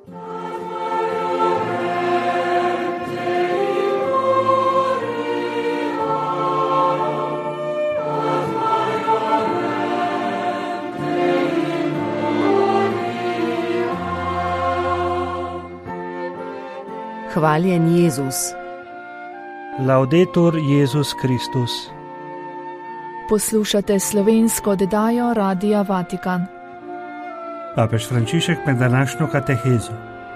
Hvaljen Jezus. Laudetur Jezus Kristus. Poslušate slovensko oddajo Radia Vatikan. Papež Frančišek med današnjo katehezo.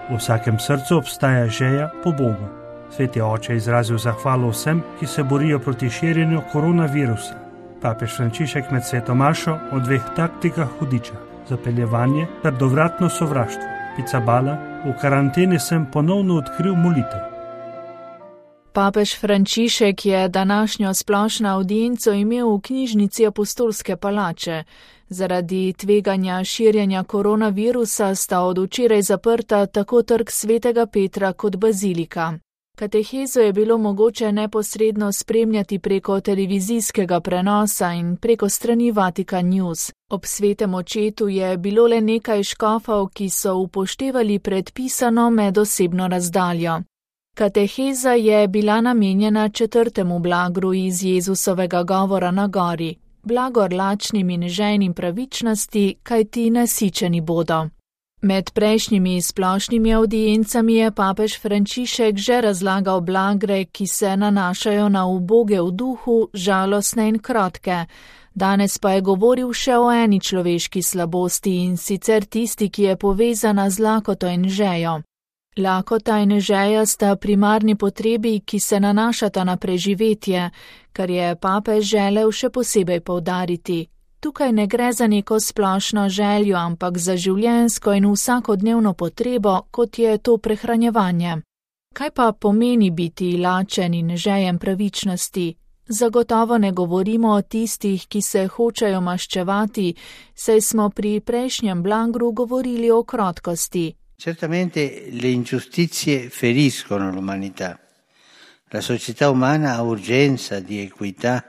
V vsakem srcu obstaja želja po Bogu. Sveti oče je izrazil zahvalo vsem, ki se borijo proti širjenju koronavirusa. Papež Frančišek med sveto mašo o dveh taktikah hudiča, zapeljevanje ter dovratno sovraštvo. Picabala, v karanteni sem ponovno odkril molitev. Papež Frančišek je današnjo splošno avdienco imel v knjižnici Apostolske palače. Zaradi tveganja širjenja koronavirusa sta od včeraj zaprta tako trg Svetega Petra kot bazilika. Katehezo je bilo mogoče neposredno spremljati preko televizijskega prenosa in preko strani Vatikan News. Ob svetem očetu je bilo le nekaj škofov, ki so upoštevali predpisano medosebno razdaljo. Kateheza je bila namenjena 4. blagru iz Jezusovega govora na gori. Blagor lačnim in žejnim pravičnosti, kajti nasičeni bodo. Med prejšnjimi splošnimi avdiencami je papež Frančišek že razlagal blagre, ki se nanašajo na uboge v duhu, žalostne in krotke. Danes pa je govoril še o eni človeški slabosti, in sicer tisti, ki je povezana z lakoto in žejo. Lakota in žeja sta primarni potrebi, ki se nanašata na preživetje, kar je papež želel še posebej poudariti. Tukaj ne gre za neko splošno željo, ampak za življenjsko in vsakodnevno potrebo, kot je to prehranjevanje. Kaj pa pomeni biti lačen in žejen pravičnosti? Zagotovo ne govorimo o tistih, ki se hočejo maščevati, saj smo pri prejšnjem blagru govorili o krotkosti. Certamente le ingiustizie feriscono l'umanità. La società umana ha urgenza di equità,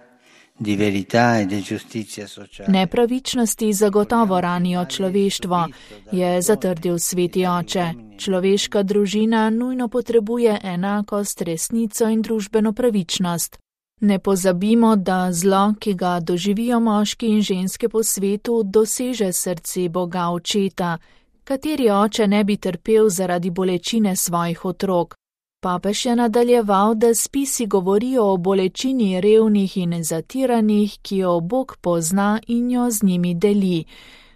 di verità e di giustizia sociale. Nepravičnosti zagotovo ranijo človeštvo, je zatrdil sveti oče. Človeška družina nujno potrebuje enakost, resnico in družbeno pravičnost. Ne pozabimo, da zlo, ki ga doživijo moški in ženske po svetu, doseže srce Boga Očeta. Kateri oče ne bi trpel zaradi bolečine svojih otrok? Papež je nadaljeval, da spisi govorijo o bolečini revnih in zatiranih, ki jo Bog pozna in jo z njimi deli.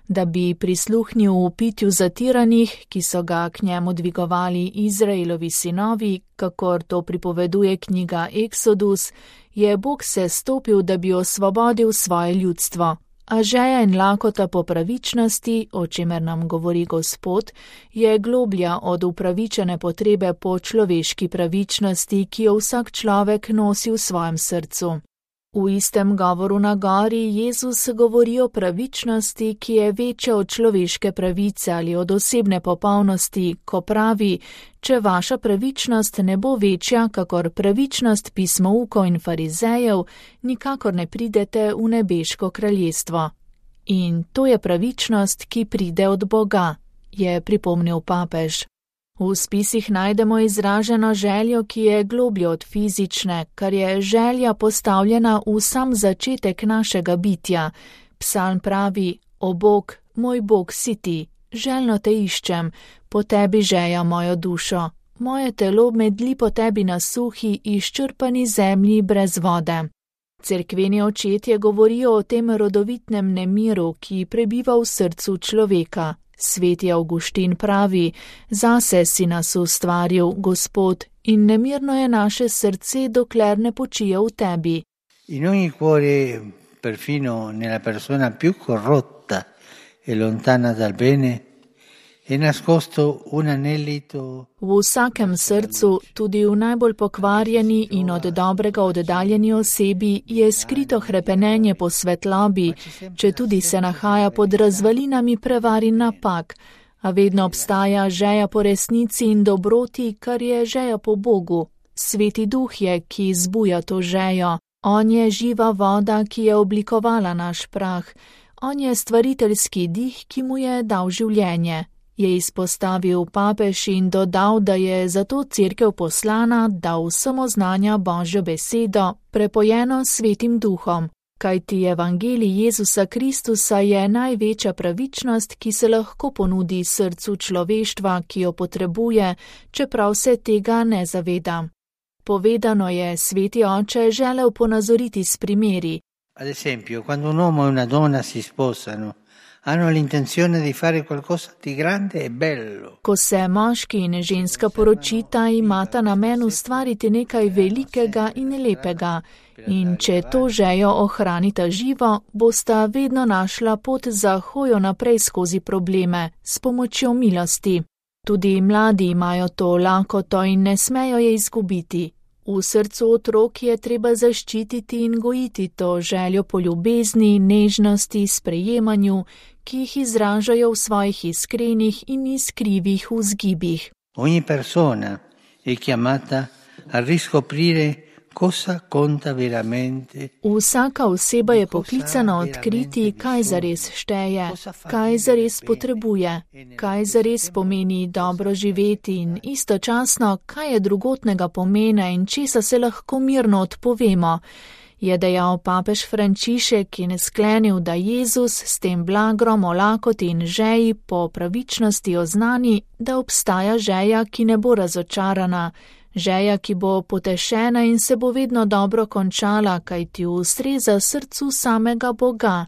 Da bi prisluhnil vpitju zatiranih, ki so ga k njemu dvigovali Izraelovi sinovi, kakor to pripoveduje knjiga Eksodus, je Bog se stopil, da bi osvobodil svoje ljudstvo. A žeja in lakota po pravičnosti, o čemer nam govori Gospod, je globlja od upravičene potrebe po človeški pravičnosti, ki jo vsak človek nosi v svojem srcu. V istem govoru na gori Jezus govori o pravičnosti, ki je večja od človeške pravice ali od osebne popolnosti, ko pravi, če vaša pravičnost ne bo večja, kakor pravičnost pismoukov in farizejev, nikakor ne pridete v nebeško kraljestvo. In to je pravičnost, ki pride od Boga, je pripomnil papež. V spisih najdemo izraženo željo, ki je globlje od fizične, kar je želja postavljena v sam začetek našega bitja. Psalm pravi: O Bog, moj Bog si ti, željno te iščem, po tebi žeja mojo dušo. Moje telo medli po tebi na suhi, izčrpani zemlji brez vode. Cerkveni očetje govorijo o tem rodovitnem nemiru, ki prebiva v srcu človeka. Sveti Avguštin pravi: Zase si nas ustvaril, Gospod, in nemirno je naše srce, dokler ne počije v tebi. In ogni cuore, perfino nella persona più corrotta e lontana dal bene, je nascosto un anelito. V vsakem srcu, tudi v najbolj pokvarjeni in od dobrega oddaljeni osebi, je skrito hrepenenje po svetlobi, če tudi se nahaja pod razvalinami prevar in napak, a vedno obstaja žeja po resnici in dobroti, kar je žeja po Bogu. Sveti Duh je, ki zbuja to žejo. On je živa voda, ki je oblikovala naš prah. On je stvariteljski dih, ki mu je dal življenje. je izpostavil papež in dodal, da je zato cerkev poslana, da vsem oznanja Božjo besedo, prepojeno s Svetim Duhom, kajti evangelij Jezusa Kristusa je največja pravičnost, ki se lahko ponudi srcu človeštva, ki jo potrebuje, čeprav se tega ne zaveda. Povedano je Sveti Oče želel ponazoriti s primeri. Ad esempio, quando un uomo e una donna si sposano, hanno l'intenzione di fare qualcosa di grande e bello. Ko se moški in ženska poročita, imata namen ustvariti nekaj velikega in lepega. In če to žejo ohranita živo, bosta vedno našla pot za hojo naprej skozi probleme, s pomočjo milosti. Tudi mladi imajo to lakoto in ne smejo je izgubiti. V srcu otrok je treba zaščititi in gojiti to željo po ljubezni, nežnosti, sprejemanju, ki jih izražajo v svojih iskrenih in iskrivih vzgibih. Ogni persona è chiamata a riscoprire cosa conta veramente. Vsaka oseba je poklicana odkriti, kaj zares šteje, kaj zares potrebuje, kaj zares pomeni dobro živeti in istočasno, kaj je drugotnega pomena in česa se lahko mirno odpovemo, je dejal papež Frančišek in sklenil, da Jezus s tem blagrom o lakoti in žeji po pravičnosti oznani, da obstaja žeja, ki ne bo razočarana, žeja, ki bo potešena in se bo vedno dobro končala, kajti ustreza srcu samega Boga,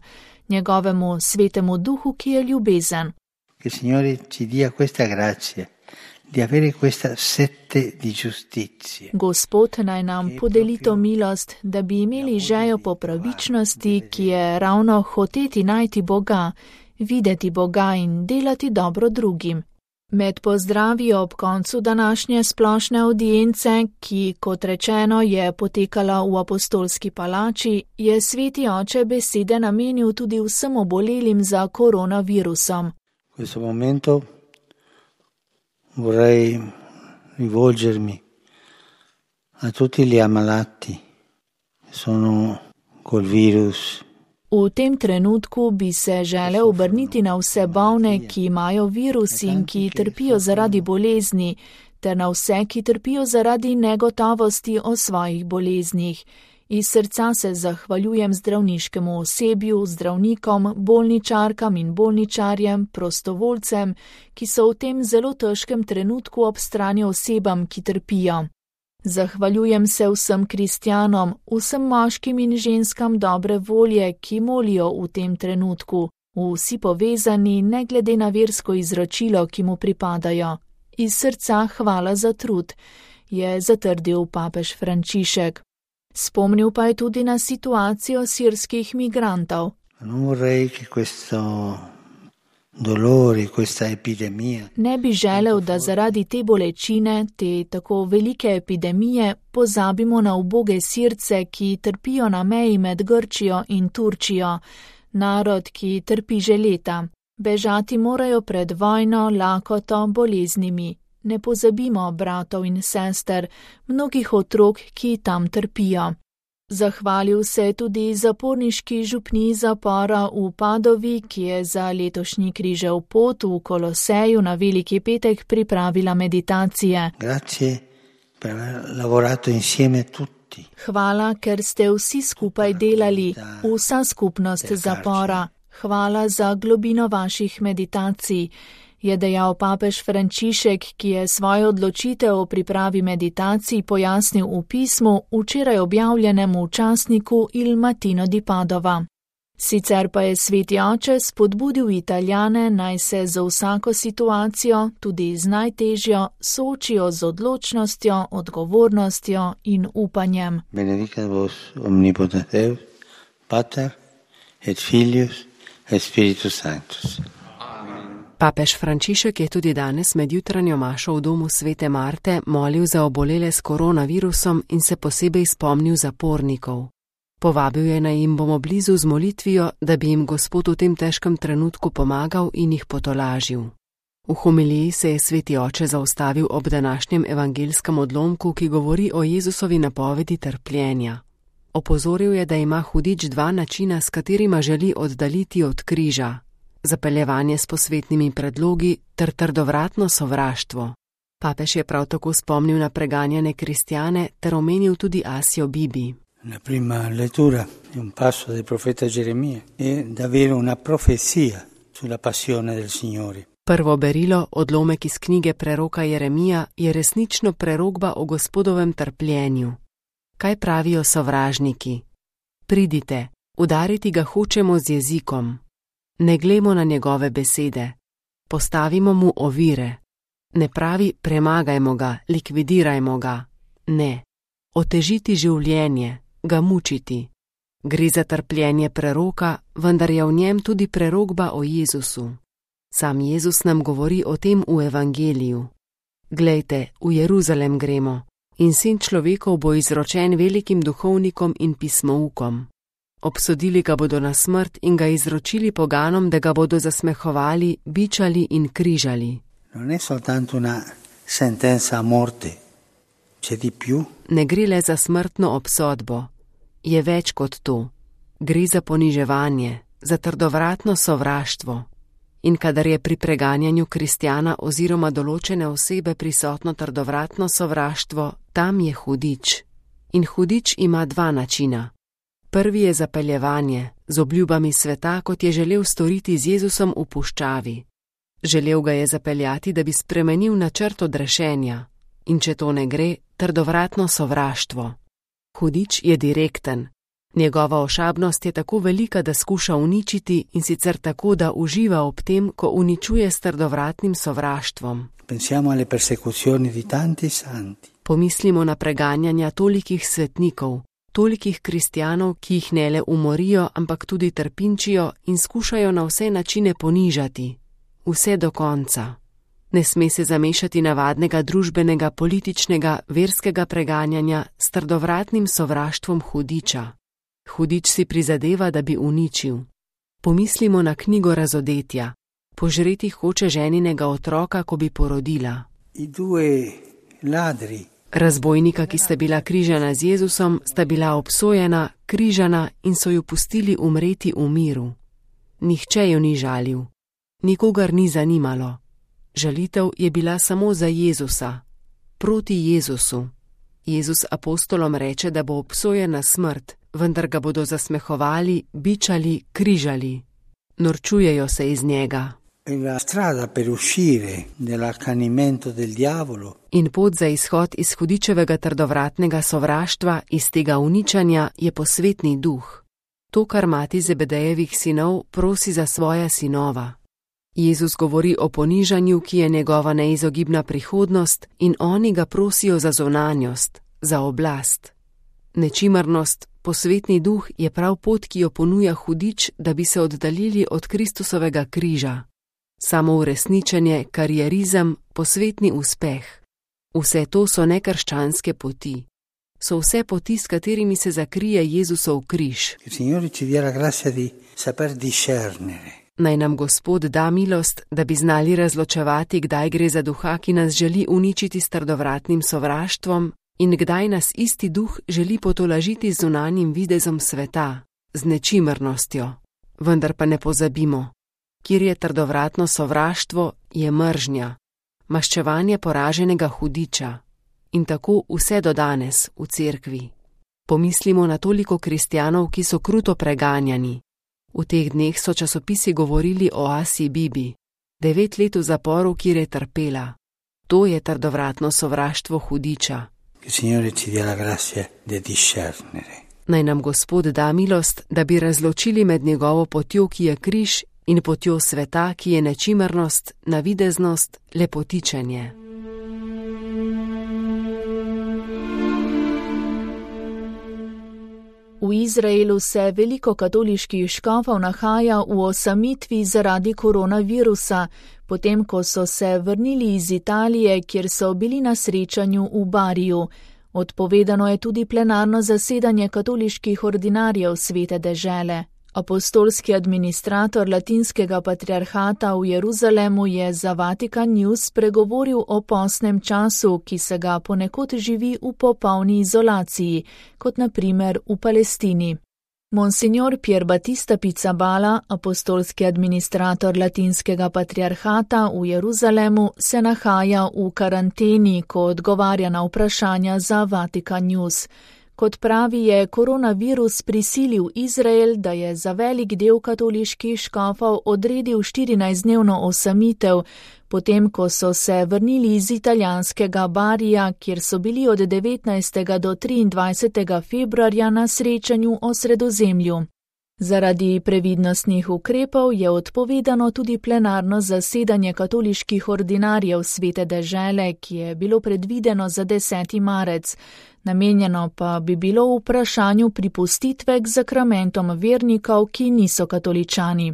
njegovemu svetemu duhu, ki je ljubezen. Che il Signore ci dia questa grazia di avere questa sete di giustizia. Gospod naj nam podeli to milost, da bi imeli žejo po pravičnosti, ki je ravno hoteti najti Boga, videti Boga in delati dobro drugim. Med pozdravi ob koncu današnje splošne audience, ki, kot rečeno, je potekala v Apostolski palači, je Sveti Oče besede namenil tudi vsem obolelim za koronavirusom. In questo momento vorrei rivolgermi a tutti gli ammalati che sono col virus. V tem trenutku bi se želel obrniti na vse bolne, ki imajo virus in ki trpijo zaradi bolezni, ter na vse, ki trpijo zaradi negotovosti o svojih boleznih. Iz srca se zahvaljujem zdravniškemu osebju, zdravnikom, bolničarkam in bolničarjem, prostovoljcem, ki so v tem zelo težkem trenutku ob strani osebam, ki trpijo. Zahvaljujem se vsem kristjanom, vsem moškim in ženskam dobre volje, ki molijo v tem trenutku, vsi povezani, ne glede na versko izročilo, ki mu pripadajo. Iz srca hvala za trud, je zatrdil papež Frančišek. Spomnil pa je tudi na situacijo sirskih migrantov. Ne bi želel, da zaradi te bolečine, te tako velike epidemije, pozabimo na uboge Sirce, ki trpijo na meji med Grčijo in Turčijo, narod, ki trpi že leta. Bežati morajo pred vojno, lakoto, boleznimi. Ne pozabimo bratov in sester, mnogih otrok, ki tam trpijo. Zahvalil se je tudi zaporniški župniji zapora v Padovi, ki je za letošnji križev pot v Koloseju na Veliki petek pripravila meditacije. Hvala, ker ste vsi skupaj delali, vsa skupnost zapora. Hvala za globino vaših meditacij, je dejal papež Frančišek, ki je svojo odločitev o pripravi meditacij pojasnil v pismu, včeraj objavljenem v časniku Il Mattino di Padova. Sicer pa je Sveti Oče spodbudil Italijane, naj se za vsako situacijo, tudi z najtežjo, soočijo z odločnostjo, odgovornostjo in upanjem. Benedicat vos omnipotens Deus, Pater et Filius et Spiritus Sanctus. Papež Frančišek je tudi danes med jutranjo mašo v domu Svete Marte molil za obolele s koronavirusom in se posebej spomnil zapornikov. Povabil je, naj jim bomo blizu z molitvijo, da bi jim Gospod v tem težkem trenutku pomagal in jih potolažil. V homiliji se je Sveti Oče zaustavil ob današnjem evangelskem odlomku, ki govori o Jezusovi napovedi trpljenja. Opozoril je, da ima hudič dva načina, s katerima želi oddaljiti od križa. zapeljevanje s posvetnimi predlogi ter trdovratno sovraštvo. Papež je prav tako spomnil na preganjane kristjane ter omenil tudi Asio Bibi. La prima lettura di un passo del profeta Geremia è davvero una profezia sulla passione del Signore. Prvo berilo, odlomek iz knjige preroka Jeremija, je resnično prerokba o Gospodovem trpljenju. Kaj pravijo sovražniki? Pridite, udariti ga hočemo z jezikom. Ne glejmo na njegove besede. Postavimo mu ovire. Ne pravi, premagajmo ga, likvidirajmo ga. Ne. Otežiti življenje, ga mučiti. Gre za trpljenje preroka, vendar je v njem tudi prerokba o Jezusu. Sam Jezus nam govori o tem v evangeliju. Glejte, v Jeruzalem gremo in sin človekov bo izročen velikim duhovnikom in pismoukom. Obsodili ga bodo na smrt in ga izročili poganom, da ga bodo zasmehovali, bičali in križali. Non è soltanto una sentenza a morte, c'è di più. Ne gre le za smrtno obsodbo, je več kot to. Gre za poniževanje, za trdovratno sovraštvo. In kadar je pri preganjanju kristjana oziroma določene osebe prisotno trdovratno sovraštvo, tam je hudič. In hudič ima dva načina. Prvi je zapeljevanje, z obljubami sveta, kot je želel storiti z Jezusom v puščavi. Želel ga je zapeljati, da bi spremenil načrt odrešenja. In če to ne gre, trdovratno sovraštvo. Hudič je direkten. Njegova ošabnost je tako velika, da skuša uničiti in sicer tako, da uživa ob tem, ko uničuje s trdovratnim sovraštvom. Pensiamo alle persecuzioni di tanti santi. Pomislimo na preganjanja tolikih svetnikov, tolikih kristjanov, ki jih ne le umorijo, ampak tudi trpinčijo in skušajo na vse načine ponižati. Vse do konca. Ne sme se zamešati navadnega družbenega, političnega, verskega preganjanja s trdovratnim sovraštvom hudiča. Hudič si prizadeva, da bi uničil. Pomislimo na knjigo Razodetja. Požreti hoče ženinega otroka, ko bi porodila. Razbojnika, ki sta bila križana z Jezusom, sta bila obsojena, križana in so ju pustili umreti v miru. Nihče ju ni žalil. Nikogar ni zanimalo. Žalitev je bila samo za Jezusa. Proti Jezusu. Jezus apostolom reče, da bo obsojen na smrt, vendar ga bodo zasmehovali, bičali, križali. Norčujejo se iz njega. In pot za izhod iz hudičevega trdovratnega sovraštva, iz tega uničanja, je posvetni duh. To, kar mati Zebedejevih sinov prosi za svoja sinova. Jezus govori o ponižanju, ki je njegova neizogibna prihodnost, in oni ga prosijo za zunanjost, za oblast. Nečimrnost, posvetni duh je prav pot, ki jo ponuja hudič, da bi se oddaljili od Kristusovega križa. Samo uresničenje, karierizem, posvetni uspeh. Vse to so nekrščanske poti. So vse poti, s katerimi se zakrije Jezusov križ. Naj nam Gospod da milost, da bi znali razločevati, kdaj gre za duha, ki nas želi uničiti s trdovratnim sovraštvom, in kdaj nas isti duh želi potolažiti z zunanjim videzom sveta, z nečimrnostjo. Vendar pa ne pozabimo, kjer je trdovratno sovraštvo, je mržnja, maščevanje poraženega hudiča. In tako vse do danes v cerkvi. Pomislimo na toliko kristjanov, ki so kruto preganjani. V teh dneh so časopisi govorili o Asii Bibi, 9 let v zaporu, kjer je trpela. To je trdovratno sovraštvo hudiča. Naj nam Gospod da milost, da bi razločili med njegovo potjo, ki je križ, in potjo sveta, ki je nečimrnost, navideznost, lepotičenje. V Izraelu se veliko katoliških škofov nahaja v osamitvi zaradi koronavirusa, potem ko so se vrnili iz Italije, kjer so bili na srečanju v Bariju. Odpovedano je tudi plenarno zasedanje katoliških ordinarjev Svete dežele. Apostolski administrator latinskega patriarhata v Jeruzalemu je za Vatikan News spregovoril o postnem času, ki se ga ponekod živi v popolni izolaciji, kot na primer v Palestini. Monsignor Pier Battista Pizzaballa, apostolski administrator latinskega patriarhata v Jeruzalemu, se nahaja v karanteni, ko odgovarja na vprašanja za Vatikan News. Kot pravi, je koronavirus prisilil Izrael, da je za velik del katoliških škofov odredil 14-dnevno osamitev, potem ko so se vrnili iz italijanskega Barija, kjer so bili od 19. do 23. februarja na srečanju o Sredozemlju. Zaradi previdnostnih ukrepov je odpovedano tudi plenarno zasedanje katoliških ordinarjev Svete dežele, ki je bilo predvideno za 10. marec. Namenjeno pa bi bilo vprašanju pripustitve k zakramentom vernikov, ki niso katoličani.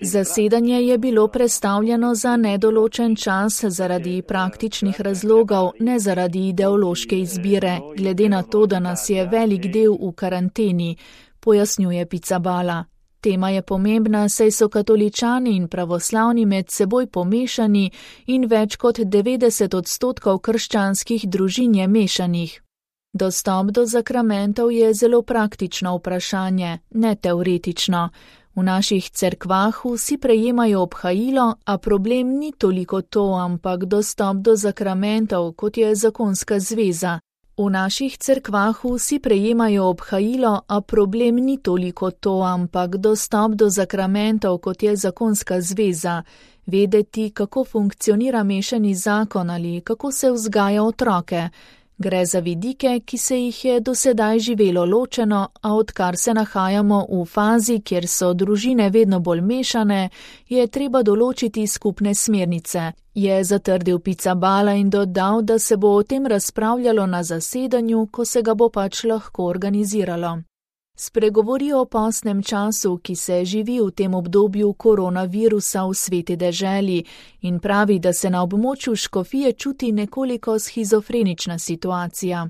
Zasedanje je bilo prestavljeno za nedoločen čas zaradi praktičnih razlogov, ne zaradi ideološke izbire, glede na to, da nas je velik del v karanteni, pojasnjuje Pizzaballa. Tema je pomembna, saj so katoličani in pravoslavni med seboj pomešani in več kot 90% krščanskih družin je mešanih. Dostop do zakramentov je zelo praktično vprašanje, ne teoretično. V naših cerkvah vsi prejemajo obhajilo, a problem ni toliko to, ampak dostop do zakramentov, kot je zakonska zveza. V naših cerkvah vsi prejemajo obhajilo, a problem ni toliko to, ampak dostop do zakramentov, kot je zakonska zveza. Vedeti, kako funkcionira mešani zakon ali kako se vzgaja otroke. Gre za vidike, ki se jih je do sedaj živelo ločeno, a odkar se nahajamo v fazi, kjer so družine vedno bolj mešane, je treba določiti skupne smernice, je zatrdil Pizzaballa in dodal, da se bo o tem razpravljalo na zasedanju, ko se ga bo pač lahko organiziralo. Spregovori o postnem času, ki se živi v tem obdobju koronavirusa v Sveti deželi in pravi, da se na območju škofije čuti nekoliko shizofrenična situacija.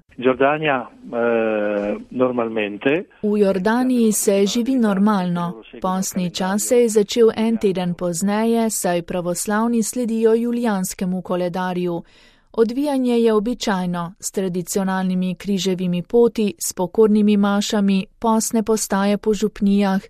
V Jordaniji se živi normalno. Postni čas se je začel en teden pozneje, saj pravoslavni sledijo julijanskemu koledarju. Odvijanje je običajno, s tradicionalnimi križevimi poti, s pokornimi mašami, postne postaje po župnijah.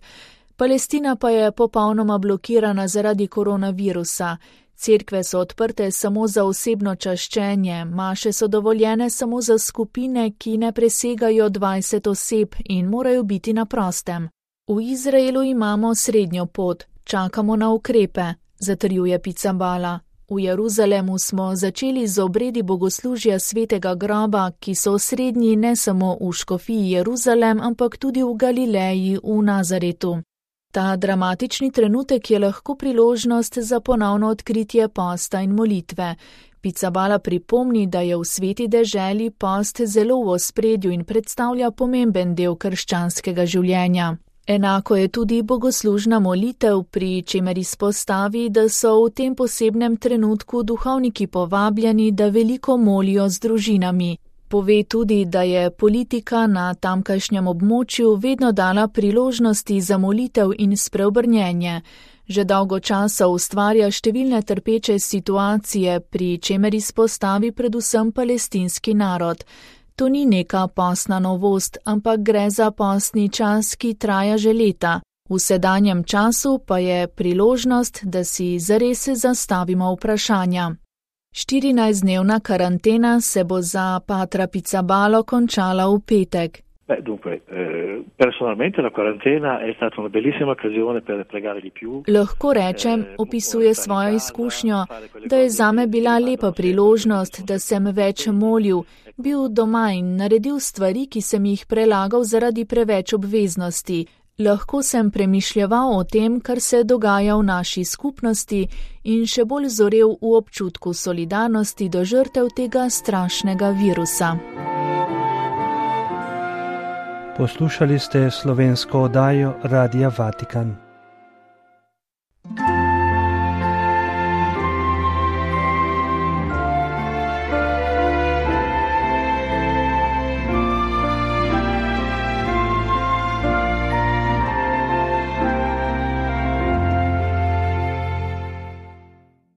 Palestina pa je popolnoma blokirana zaradi koronavirusa. Cerkve so odprte samo za osebno čaščenje, maše so dovoljene samo za skupine, ki ne presegajo 20 oseb in morajo biti na prostem. V Izraelu imamo srednjo pot, čakamo na ukrepe, zatrjuje Pizzaballa. V Jeruzalemu smo začeli z obredi bogoslužja svetega groba, ki so osrednji ne samo v škofiji Jeruzalem, ampak tudi v Galileji, v Nazaretu. Ta dramatični trenutek je lahko priložnost za ponovno odkritje posta in molitve. Pizzaballa pripomni, da je v Sveti deželi post zelo v ospredju in predstavlja pomemben del krščanskega življenja. Enako je tudi bogoslužna molitev, pri čemer izpostavi, da so v tem posebnem trenutku duhovniki povabljeni, da veliko molijo z družinami. Pove tudi, da je politika na tamkajšnjem območju vedno dala priložnosti za molitev in spreobrnjenje. Že dolgo časa ustvarja številne trpeče situacije, pri čemer izpostavi predvsem palestinski narod. To ni neka postna novost, ampak gre za postni čas, ki traja že leta. V sedanjem času pa je priložnost, da si zares zastavimo vprašanja. 14-dnevna karantena se bo za patra Pizzaballo končala v petek. Lahko rečem, opisuje svojo izkušnjo, da je zame bila lepa priložnost, da sem več molil, bil doma in naredil stvari, ki sem jih prelagal zaradi preveč obveznosti. Lahko sem premišljeval o tem, kar se dogaja v naši skupnosti in še bolj zorel v občutku solidarnosti do žrtev tega strašnega virusa. Poslušali ste slovensko oddajo Radia Vatikan.